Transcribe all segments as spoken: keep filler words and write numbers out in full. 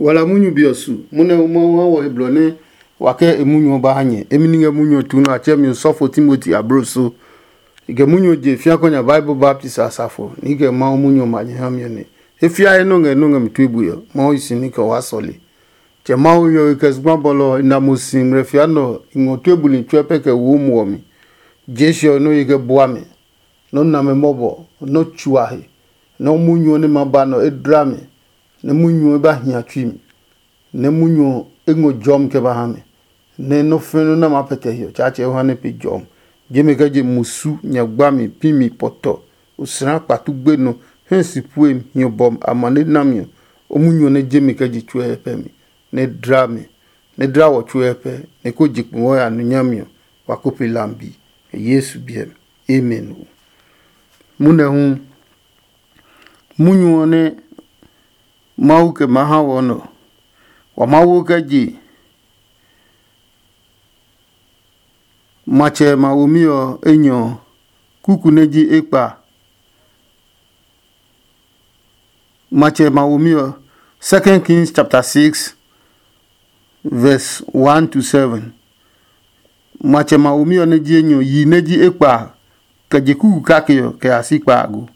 Wala munyu be ɔ su, munɛ Mawu ha wɔ he blɔ nɛ wa kɛ e munyu ɔ ba ha nyɛ. Emi ni ngɛ munyu ɔ tu nɛ a tsɛ mi osɔfo Timoti abloso. I kɛ munyu ɔ je fia kɔ nya Bible baptisi asafo, nɛ i kɛ Mawu munyu ɔ ma nyɛ ha mi ɔ nɛ. He fiae nɔ ngɛ nɔ ngɛ mi tue bue ɔ, Mawu yi si ní kɛ waa sɔle. Tsɛ Mawu hiɔwe kɛ zugba bɔlɔ ɔ, i na mo si ngmlɛ fia nɛ ɔ, i ngɔ tue buli tsuɛ pɛ kɛ wo muɔ mi. Jesu ɔ nɔ ye kɛ bua mi. Nɔ́ name mɔbɔ, nɔ́ tsuahe, nɔ́ munyu ɔ nɛ ma ba nɔ e dla mi, nɛ munyu ɔ ba hia tsui mi, nɛ munyu ɔ e ngɔ jɔmi kɛ ba ha mi, nɛ nɔ́ fɛ̃ nɔ́ nɛ ma pɛtɛ hiɔ Tsaatsɛ Yohane pe jɔmi. Jemi kɛ je musu, nyagba mi, pi mi, pɔtɔ, osra kpatu gbenɔ, hɛ si pue mi, hiɔ bɔ amane nami ɔ, o munyu ɔ nɛ jemi kɛ je tsuɛ pɛ mi, nɛ dla mi, nɛ dla wɔ tsuɛ pɛ, nɛ ko je kpengɔ ya nu nyami ɔ, wa ko pe lambi. Yesu biɛ mi. Amen. Munɛ hu, munyu ɔ nɛ Mawu kɛ maa ha wɔ nɔ, wa Mawu kɛ je matsɛ ma womi ɔ enyɔ ɔ, kuku nɛ ji ekpa. Matsɛ ma womi ɔ, Second Kings chapter six, verse one to seven. Matsɛ ma womi ɔ nɛ ji enyɔ yi nɛ ji ekpa kɛ je kuku kake ɔ kɛ ya si kpaago.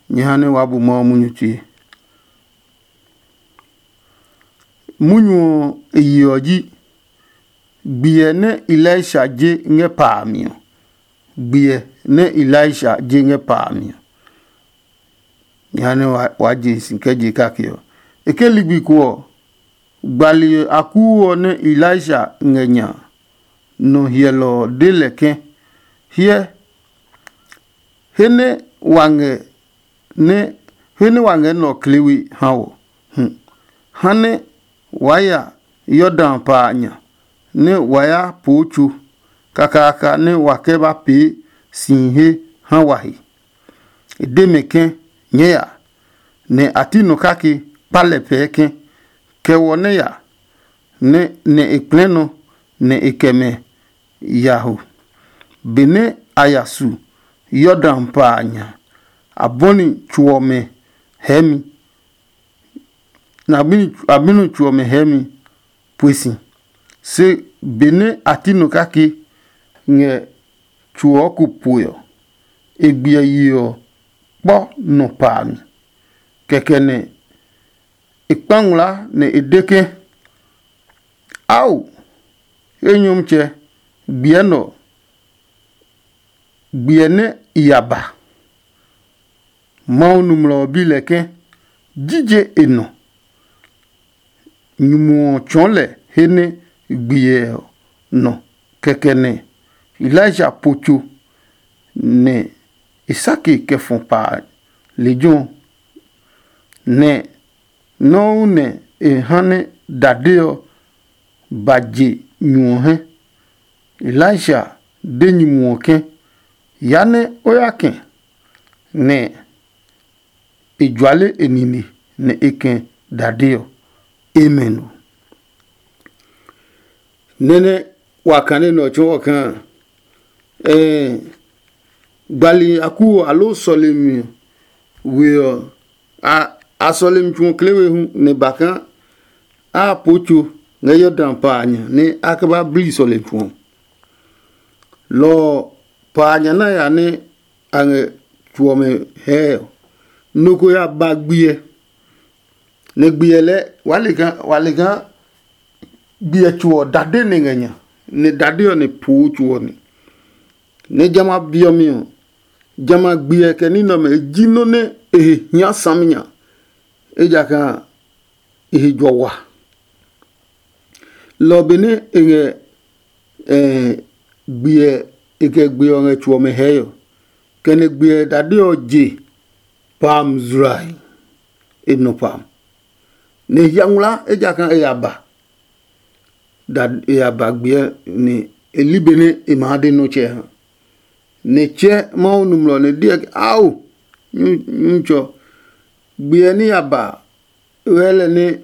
Nyɛ ha nɛ waa bu Mawu munyu tue. Munyu ɔ e yi ɔ ji gbiɛ nɛ Elisha je ngɛ pa a mi ɔ. Gbiɛ nɛ Elisha je ngɛ pa a mi ɔ. Nyɛ ha nɛ waa je si kɛ je kake ɔ. E ke ligbi ko ɔ, gbali akuu ɔ nɛ Elisha ngɛ nya nɔ hyɛlɔ ɔ de lɛ ke, hyɛ, he nɛ wa ngɛ nɛ he nɛ wa ngɛ nɛ ɔ kle we ha wɔ. Hm. Ha nɛ waa ya Yordan pa a nya, nɛ wa ya poo tso kakaaka nɛ wa kɛ ba pee si he ha wa he. E de mɛ ke, nyɛɛ ya, nɛ a ti nɔ kake kpa lɛ pɛɛ ke, kɛ wɔ nɛ ya, nɛ nɛ e kplɛɛ nɔ, nɛ e kɛ mɛ ya ho. Benɛ a ya su Yordan pa a nya, a bɔni tso ɔmɛ hɛɛmi, nɛ a bini tso ɔmɛ hɛɛmi pue si. Se benɛ a ti nɔ kake ngɛ tso ɔ ko pue ɔ, e gbiɛ yi ɔ kpɔ nɔ pa a mi. Kɛkɛ nɛ e kpa ngmlaa nɛ e de ke, ao, enyɔmtsɛ, gbiɛ nɛ ɔ, gbiɛ nɛ i ya ba. Mawu nɔmlɔ ɔ bi lɛ ke, jije e nɔ? Nyumu ɔ tsɔɔ lɛ he nɛ gbiɛ ɔ nɔ. Kɛkɛ nɛ Elisha po tso, nɛ e sake kɛ fɔ pa lejɛ ɔ, nɛ Nɔuu nɛ e ha nɛ dade ɔ ba je nyu ɔ hɛ. Elisha de nyumu ɔ ke, ya nɛ o ya kɛ̃, nɛ e juale e nine, nɛ e kɛ̃ dade ɔ. Amen ɔ. Nɛ́ nɛ wa kane nɛ ɔ tsɔɔ kaa, ɛɛ gbali aku ɔ aloo sɔlemi we ɔ, a sɔlemi tsu ɔ kle we hu nɛ ba kaa a poo tso ngɛ Yordan pa a nya nɛ a kɛ ba bli sɔlemi tsu ɔ. Lɔ ɔ, pa a nya na ya nɛ a ngɛ tso ɔmɛ hɛɛ ɔ, nɔ ko ya ba gbiɛ, nɛ gbiɛ lɛɛ wa le kaa wa le kaa gbiɛ tso ɔ dade nɛ ngɛ nya, nɛ dade ɔ nɛ poo tso ɔ nɛ. Nɛ jamɛ a be ɔ mi ɔ, jamɛ a gbiɛ kɛ ní nɛ ɔmɛ e ji nɔ́ nɛ e he hia saminya, ejakaa e he jɔ wa. Lɔ ɔ benɛ e ngɛ gbiɛ e kɛ gbiɛ ɔ ngɛ tso ɔmɛ hɛɛ ɔ, kɛ nɛ gbiɛ dade ɔ je pam zurahi, e nɔ pam, nɛ e hia ngmlaa ejakaa e ya ba. Da e ya ba gbiɛ nɛ e li benɛ e maa de nɔ́ tsɛ ha. Nɛ e tsɛ Mawu nɔmlɔ nɛ e deɔ ke, ao, Nyutsɔ, gbiɛ ní ya ba wɛɛ lɛ nɛ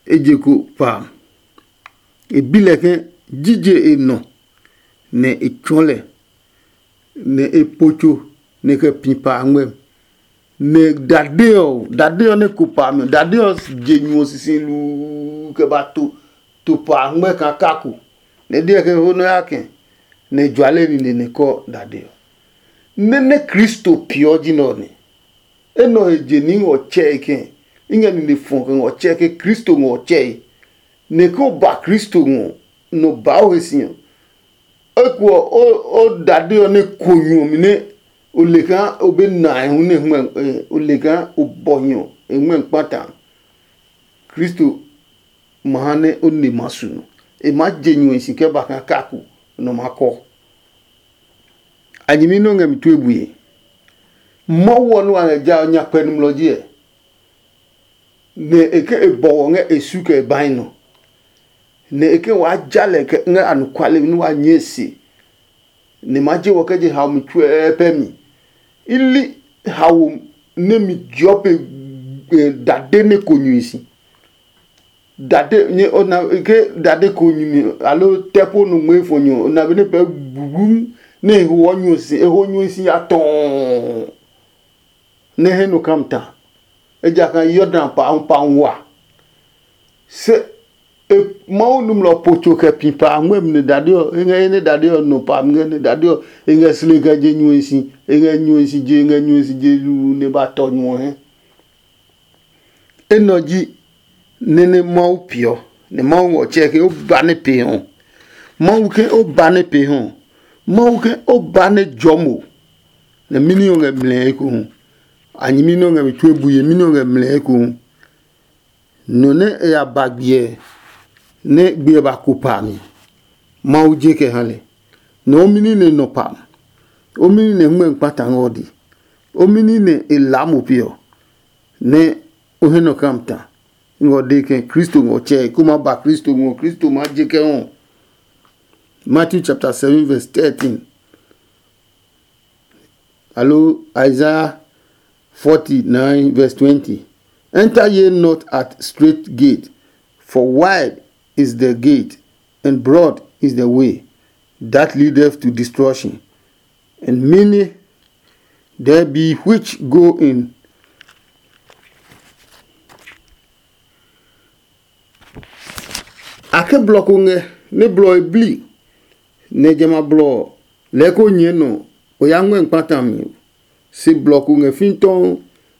e je ko pa. E bi lɛ ke, jije e nɔ? Nɛ e tsɔɔ lɛ, nɛ e po tso nɛ e kɛ pi pa a ngmɛmi. Nɛ dade ɔ dade ɔ nɛ ko pa mi dade ɔ je nyu ɔ sisi luu kɛ ba to to pa ngmɛ kaa kako. Nɛ deɛ ke ho nɔ ya kɛ nɛ juale nine nɛ kɔ dade ɔ. Nɛ nɛ Kristo piɔ ji nɛ ɔ nɛ. Enɔ he je ni ngɔ tsɛe kɛ i ngɛ nine fɔ kɛ ngɔ tsɛe ke Kristo ngɔ tsɛe. Nɛ ke o ba Kristo ngɔ nɔ ba o he si ɔ, eko ɔ o dade ɔ nɛ ko nyu ɔ mi nɛ o le kaa o be nae hu nɛ hmɛ o le kaa o bɔ hiɔ e hmɛ kpata. Kristo ma ha nɛ o ne ma su nɔ. E maa je nyuhi si kɛ ba kaa kaku nɔ ma kɔ. A nyɛmi nɛ o ngɛ mi tue bue. Mawu ɔ nɛ wa ngɛ ja ɔ nya kpɛ nɔmlɔ ji ɛ. Nɛ e ke e bɔwɔ ngɛ e su kɛ e bahi nɔ. Nɛ e ke waa ja lɛ kɛ ngɛ anɔkuale nɛ wa nyɛɛ se. Nɛ ma je wɔ kɛ je haomi tsuɛɛ pɛ mi. I li hawo nɛ mi jeɔ pe dade nɛ ko nyui si. Dade nyɛ ona ke dade ko nyumi alo tɛ po nungbe fo nyo ona be ne pɛ gugum ne ho nyo si e ho nyo si ya tɔɔ. Ne he no kam ta. Ejakaa Yordan pa pa wa. Se e Mawu numlɔ po tso kɛ pi pa ngmɛmi ne dade ɔ e ngɛ he ne dade ɔ nɔ pa ngɛ ne dade ɔ e ngɛ sle kɛ je nyuɛ si e ngɛ nyuɛ si je e ngɛ nyuɛ si je lu ne ba tɔ nyuɔ he. Enɛ ɔ ji nɛ nɛ Mawu peeɔ, nɛ Mawu ngɔ tsɛɛ ke o ba nɛ pee hu. Mawu ke o ba nɛ pee hu. Mawu ke o ba nɛ jɔ mo. Nɛ mɛni ɔ ngɛ mlɛɛ ekohu? A nyɛmi nɛ ɔ ngɛ mi tue bue, mɛni ɔ ngɛ mlɛɛ ekohu? Nɔ nɛ e ya ba gbiɛ nɛ gbiɛ ba ko pa mi, Mawu je kɛ ha lɛ. Nɛ o mɛni nɛ nɔ pa mi, o mɛni nɛ hmɛ kpata ngɛ ɔ di, o mɛni nɛ e laa mo pe ɔ, nɛ o he nɔ kam ta. Ngɔ de kɛ Kristo ngɔ tsɛ ko ma ba Kristo ngɔ Kristo ma je kɛ ɔ. Matthew chapter seven verse thirteen. Alo Isaiah forty-nine verse twenty. Enter ye not at straight gate, for wide is the gate, and broad is the way that leadeth to destruction, and many there be which go in. A ke blɔ ko ngɛ nɛ blɔ e bli, nɛ jamɛ a blɔ ɔ lɛɛ ko nyɛɛ nɔ o ya ngmɛ́ kpata mi. Se blɔ ko ngɛ fĩtɔɔ,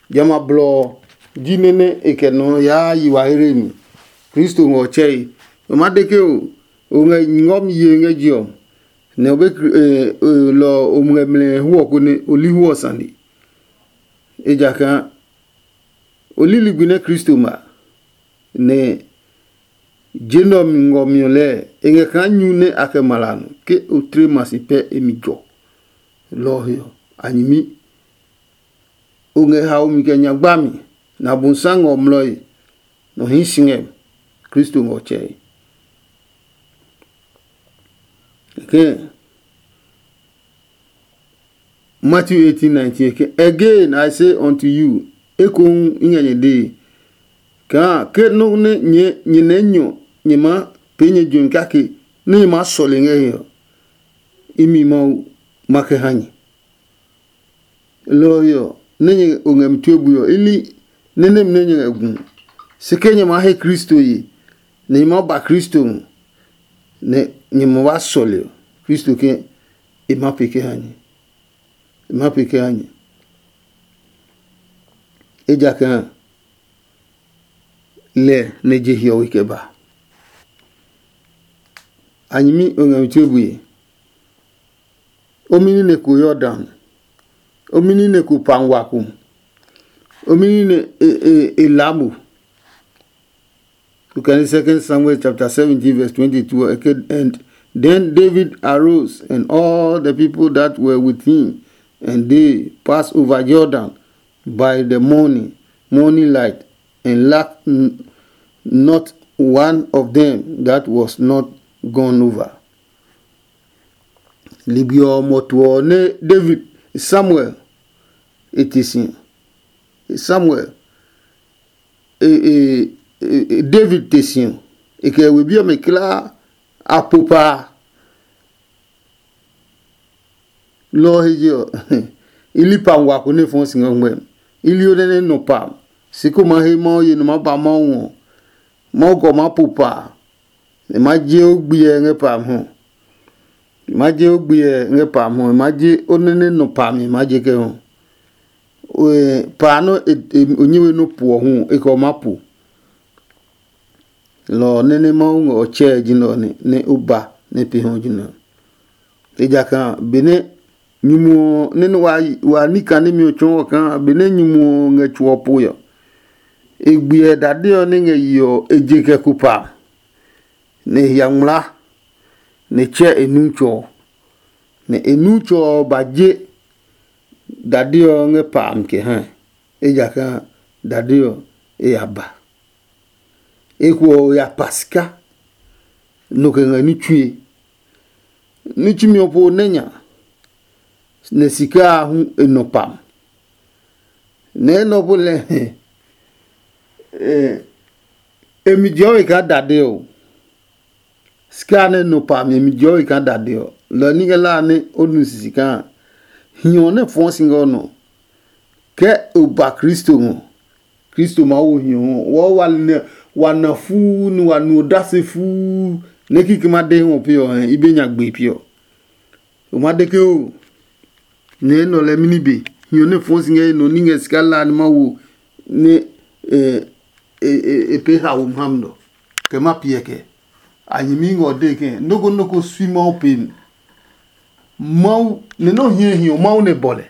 jamɛ a blɔ ɔ ji nɛ nɛ e kɛ nɔ yaa yi wa here mi. Kristo ngɛ ɔ tsɛe. O ma de ke o o ngɛ ngɔmi ye ngɛ je ɔ, nɛ o be lɔ ɔ o ngɛ mlɛ hu ɔ konɛ o li hu ɔ sane. Ejakaa o li ligbi nɛ Kristo ma, nɛ je nɛ ɔ mi ngɔ mi ɔ lɛɛ e ngɛ kaa nyu nɛ a kɛ ma la nɔ ke o tle ma si pɛ e mi jɔ. Lɔ ɔ he ɔ, a nyɛmi o ngɛ haomi kɛ nyagba mi, nɛ Abosiami ngɛ o mlɔe, nɔ hii si ngɛ Kristo ngɛ ɔ tsɛe. Kɛkɛ Matthew eighteen nineteen ke, "Again I say unto you, ekohu i ngɛ nyɛ dee, kaa ke nɔ́ nɛ nyɛ nyɛ nɛ nyɔ nyɛ maa pee nyɛ juɛmi kake nɛ nyɛ maa sɔle ngɛ he ɔ, imi Mawu ma kɛ ha nyɛ." Lɔ ɔ he ɔ, nɛ nyɛ o ngɛ mi tue bui ɔ, i li nɛ nɛmi nɛ nyɛ ngɛ gu. Se ke nyɛ maa he Kristo ye, nɛ nyɛ maa ba Kristo ngɔ, nɛ nyɛ ma ba sɔle ɔ, Kristo ke e ma pee kɛ ha nyɛ. E ma pee kɛ ha nyɛ. Ejakaa lɛ nɛ je hiɔwe kɛ ba. A nyɛmi o ngɛ mi tue bue. O mini nɛ ko Yordan, o mini nɛ ko pa ngua ko, o mini nɛ e e e laa mo. Look at Second Samuel chapter seventeen, verse twenty-two. Okay, and then David arose, and all the people that were with him, and they passed over Jordan by the morning, morning light, and lacked n- not one of them that was not gone over. Ligbi ɔ mɔtu ɔ nɛ David Samuel e te si. Samuel e, e, e, e, David te si ɔ, e kɛ we bi ɔmɛ kulaa a po paa. Lɔ ɔ he je ɔ, i li pa ngua ko nɛ fɔɔ si ngɛ ngmɛ. I li o nɛ nɛ nɔ pa, si ko ma he Mawu ye nɔ ma ba Mawu ngɔ. Mawu kɔ ma po pa, nɛ ma je o gbiɛ ngɛ pa hu. Ma je o gbiɛ ngɛ pa hu, ma je o nɛ nɛ nɔ pa mi ma je kɛ hu. Pa nɔ o nyɛ we nɔ puɔ hu, e kɔ ma po. Lɔ ɔ nɛ nɛ Mawu ngɛ ɔ tsɛɛ ji nɛ ɔ nɛ o ba nɛ pe hɔ ji nɛ ɔ. Ejakaa benɛ nyumu ɔ nɛ nɛ wa wa ní kaa nɛmɛ ɔ tsɔɔ ɔ kaa benɛ nyumu ɔ ngɛ tso ɔ poe ɔ, e gbiɛ dade ɔ nɛ ngɛ yi ɔ e je kɛ ko pa, nɛ e hia ngmlaa, nɛ e tsɛ e nu tsɔ ɔ, nɛ e nu tsɔ ɔ ba je dade ɔ ngɛ pa a mi kɛ ha, ejakaa dade ɔ e ya ba. Eko ɔ ya pa sika, nɔ kɛ ngɛ ní tsue. Ní tsumi ɔ po nɛ nya, nɛ sika a hu e nɔ pam. Nɛ enɛ ɔ po lɛ e mi jɔwe kaa dade ɔ. Sika nɛ nɔ pam e mi jɔwe kaa dade ɔ, lɔ ní kɛ la nɛ o nu sisi kaa. Hiɔ nɛ fɔɔ si ngɛ o nɔ. Kɛ o ba Kristo ngɔ, Kristo maa wo hiɔ ɔ, wɔɔ wa nɛ wa na fuu nɛ wa nu odase fuu nɛ kikɛ ma de hɔ pe ɔ hɛ i be nya gbe pi ɔ. O ma de ke o nɛ nɔ lɛ mini be hiɔ nɛ fɔɔ si ngɛ nɔ ní ngɛ sika la ni ma wo nɛ e e e pe ha wo mam nɔ kɛ ma piɛ kɛ. A nyɛmi ngɔ de ke noko noko sui Mawu pe mi. Mawu nɛ nɔ hiɛ hiɔ Mawu nɛ bɔ lɛ.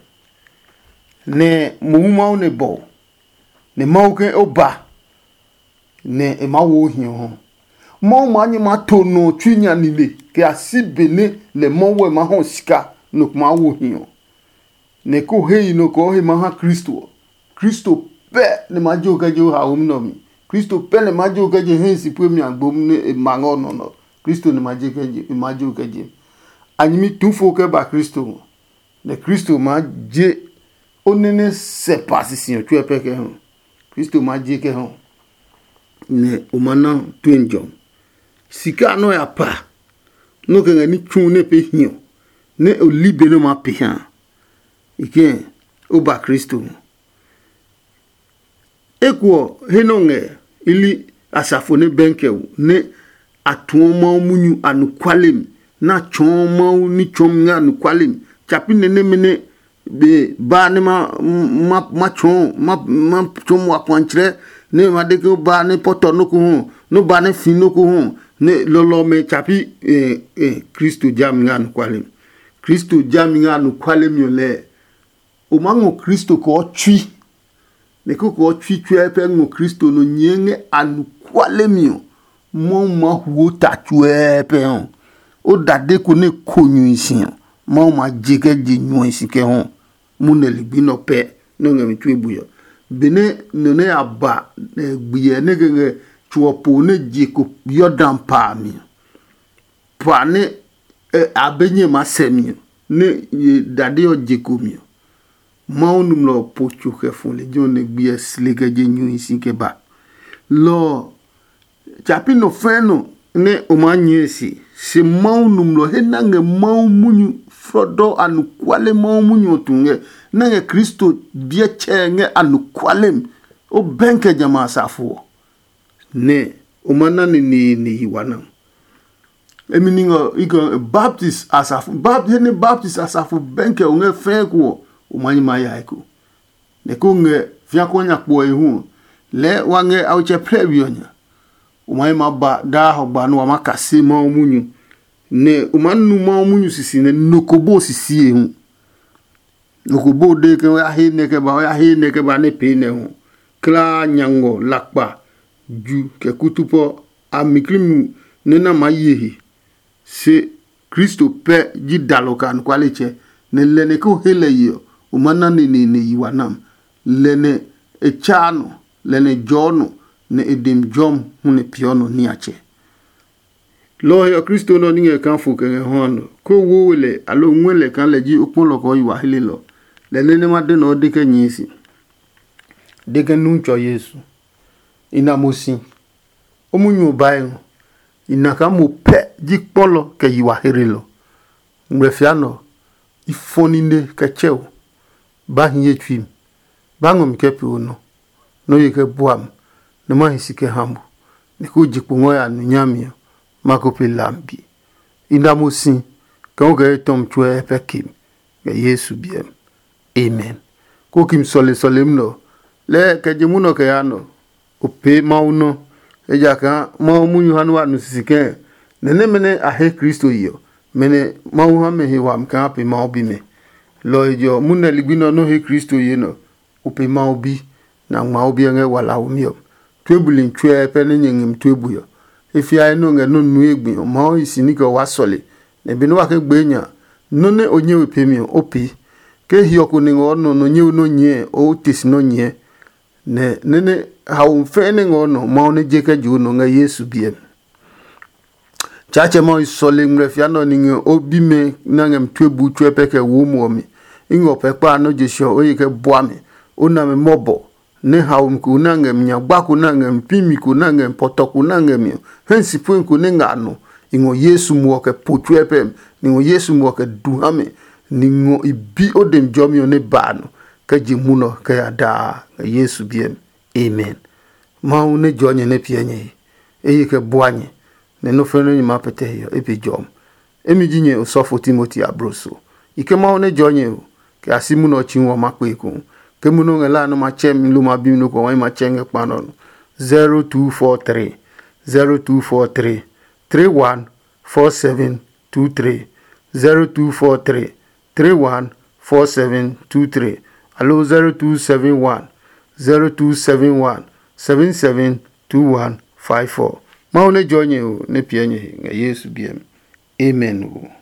Nɛ mohu Mawu nɛ bɔ o, nɛ Mawu ke o ba nɛ e maa wo o hiɔ ɔ. Mawu maa nyɛ maa to nɔ ɔ tsui nya nine kɛ ya si be nɛ lɛ Mawu ɛ maa hɔ sika nɔ ko maa wo hiɔ. Nɛ ko he yi nɔ kɔɔ he maa ha Kristo ɔ, Kristo pɛ nɛ maa je o kɛ je o haomi nɛ ɔ mi. Kristo pɛ nɛ maa je o kɛ je hɛ si pue mi agbo nɛ e ma ngɛ ɔ nɔ nɔ. Kristo nɛ maa je kɛ je e maa je o kɛ je. A nyɛmi tu fo kɛ ba Kristo ngɔ. Nɛ Kristo maa je o nɛ nɛ sɛ pa sisi ɔ tsuɛ pɛ kɛ hu. Kristo maa je kɛ hu, nɛ o ma na tue jɔ. Sika nɔ ya pa nɔ kɛ ngɛ ní tsu nɛ pe hiɔ nɛ o li be nɛ o ma pe ha. I kɛ o ba Kristo ngɔ. Eko ɔ, he nɛ o ngɛ i li asafo nɛ bɛnkɛ ɔ nɛ a tuɔ Mawu munyu anɔkuale mi, nɛ a tsɔɔ Mawu ní tsɔɔmi ngɛ anɔkuale mi. Tsa pi nɛ nɛmɛ nɛ be ba nɛ ma ma ma tsɔɔ ma ma tsɔɔ wa kwantsrɛ nɛ ma de ke o ba nɛ pɔtɔ nɔ́ ko hɔ, nɛ o ba nɛ fi nɔ́ ko hɔ, nɛ lɔlɔ ɔmɛ tsa pi. Kristo ja mi ngɛ anɔkuale mi. Kristo ja mi ngɛ anɔkuale mi ɔ lɛɛ. O maa ngɔ Kristo kɛ ɔ tsui, nɛ koko ɔ tsui tsuɛ pɛ ngɔ Kristo nɔ nyɛɛ ngɛ anɔkuale mi ɔ, Mawu maa huo ta tsuɛ pɛ ɔ. O dade ko nɛ ko nyui si ɔ, Mawu ma je kɛ je nyuɔe si kɛ hɔ. Mu nɛ ligbi nɛ ɔ pɛ nɛ o ngɛ mi tue bui ɔ. Benɛ nɔ nɛ ya ba gbiɛ nɛ kɛ ngɛ tso ɔ po nɛ je ko Yordan pa a mi ɔ, pa nɛ a be nyɛ maa sɛ mi ɔ, nɛ ye dade ɔ je ko mi ɔ, Mawu nɔmlɔ ɔ po tso kɛ fɔ lejɛ ɔ nɛ gbiɛ sle kɛ je nyuhi si kɛ ba. Lɔ ɔ, tsa pi nɔ fɛɛ nɔ nɛ o maa nyɛɛ se, se Mawu nɔmlɔ he na ngɛ Mawu munyu flɔdɔ anɔkuale Mawu munyu ɔ tu ngɛ, nɛ ngɛ Kristo biɛ tsɛɛ ngɛ anɔkuale mi. O bɛnkɛ jamɛ a safo ɔ, nɛ o ma na neneene yi wa na. Emi ni ngɔ ikɔ baptis asafo baptis he ni baptis asafo bɛnkɛ o ngɛ fɛɛ ko ɔ, o ma nyi ma ya eko. Nɛ ko ngɛ fia ko nya kpo e hu ɔ, lɛɛ wa ngɛ awutsɛ plɛ we ɔ nya. O ma nyi ma ba daa hɔgba nɛ wa ma kase Mawu munyu, nɛ o ma nu Mawu munyu sisi nɛ nɔ ko bo sisi e hu. Nɔ ko bo de ke o ya he nɛ kɛ ba o ya he nɛ kɛ ba nɛ pee nɛ hu. Klaa nya ngɔ lakpa ju kɛ kutupɔ a miklimu nɛ na maa ye he. Se Kristo pɛ ji dalɔ kɛ anɔkualetsɛ, nɛ lɛ nɛ ke o he lɛ ye ɔ, o ma na neneene yi wa nam. Lɛ nɛ e tsaa nɔ, lɛ nɛ jɔɔ nɔ, nɛ e dem jɔmi hu nɛ peeɔ nɔ niatsɛ. Lɔ ɔ he ɔ, Kristo nɛ ɔ ní ngɛ kaa fo kɛ ngɛ hɔ a nɔ, kó wo we lɛ aloo ngɔɛ lɛ kaa lɛ ji o kpɔlɔ kɛ o yi wa helelɔ. Lɛ nɛ nɛ ma de nɛ ɔ de kɛ nyɛɛ si, de kɛ nu tsɔ Yesu. I na mo si. O munyu ɔ bae ngɔ. I na kaa mo pɛ ji kpɔlɔ kɛ yi wa herelɔ. Ngmlɛfia nɛ ɔ, i fɔ nine kɛ tsɛ o, ba hi ye tsui mi. Ba ngɔ mi kɛ pee o nɔ, nɛ o ye kɛ bua mi, nɛ ma hi si kɛ ha mo, nɛ ko je kpo ngɔ ya nu nyami ɔ, ma ko pe lambi. I na mo si, kɛ o kɛ etɔmi tsuɛ pɛ ke mi, kɛ Yesu biɛ mi. Amen. Ko ki mi sɔle sɔlemi nɛ ɔ, lɛɛ kɛ je munɔ kɛ yaa nɔ, o pee Mawu nɔ, ejakaa Mawu munyu ha nɛ wa nu sisi kɛ̃, nɛ nɛmɛ nɛ a he Kristo ye ɔ, mɛ nɛ Mawu ha mɛ he wami kaa pe Mawu bimɛ. Lɔ ɔ he je ɔ, munɛ ligbi nɛ ɔ nɔ́ he Kristo ye nɛ ɔ, o pe Mawu bi, nɛ a ngma o biɛ ngɛ walaomi ɔ. Tue buli tsuɛ pɛ nɛ nyɛ ngɛ mi tue bui ɔ. E fiae nɛ o ngɛ nɔ́ nue gbi ɔ, Mawu hi si ní kɛ o wá sɔle, nɛ benɛ wa ke gbee nya, nɔ́ nɛ o nyɛ we peemi ɔ, o pee. Ke hiɔ ko nɛ ngɔ nɔ nɔ nyɛ we nɔ́ nyɛɛ, o te si nɔ́ nyɛɛ. Nɛ nɛ́ nɛ haomi fɛɛ nɛ ngɛ o nɔ Mawu nɛ je kɛ je o nɔ ngɛ Yesu biɛ mi. Tsaatsɛ Mawu sɔle ngmlɛfia nɛ ɔ ni ngɛ o bimɛ nɛ a ngɛ mi tue buu tsuɛ pɛ kɛ wo muɔ mi. I ngɛ o pɛ kpa nɔ́ je se ɔ, o ye kɛ bua mi. O na mi mɔbɔ, nɛ haomi ko nɛ a ngɛ mi nyagba ko nɛ a ngɛ mi pimi ko nɛ a ngɛ mi pɔtɔ ko nɛ a ngɛ mi ɔ, hɛ si pue ko nɛ ngɛ a nɔ. I ngɔ Yesu muɔ kɛ po tsuɛ pɛ mi. I ngɔ Yesu muɔ kɛ du ha mi. Ni ngɔ i bi o demi jɔmi ɔ nɛ ba a nɔ, kɛ je munɔ kɛ ya daa ngɛ Yesu biɛ mi. Amen. Mawu nɛ jɔɔ nyɛ nɛ piɛ nyɛ he. E ye kɛ bua nyɛ, nɛ nɔ́ fɛnɛ nɛ nyɛ maa pɛtɛ he ɔ, e be jɔmi. Emi ji nyɛ osɔfo Timoti abloso. I ke Mawu nɛ jɔɔ nyɛ ɔ, kɛ a si munɔ ɔ tsi ɔ ma kpe ekohu. Ke munɔ ngɛ la nɔ ma tsɛ mi lo ma bi mi nɔ ko wa ma tsɛ ngɛ kpa nɔ nɔ. zero two four three, zero two four three, three one four seven two three, zero two four three, three one four seven two three, alo zero two seven one, zero two seven one, seven seven two one five four. Mawu nɛ jɔ nyɛ o, nɛ piɛ nyɛ he ngɛ Yesu biɛ mi. Amen o.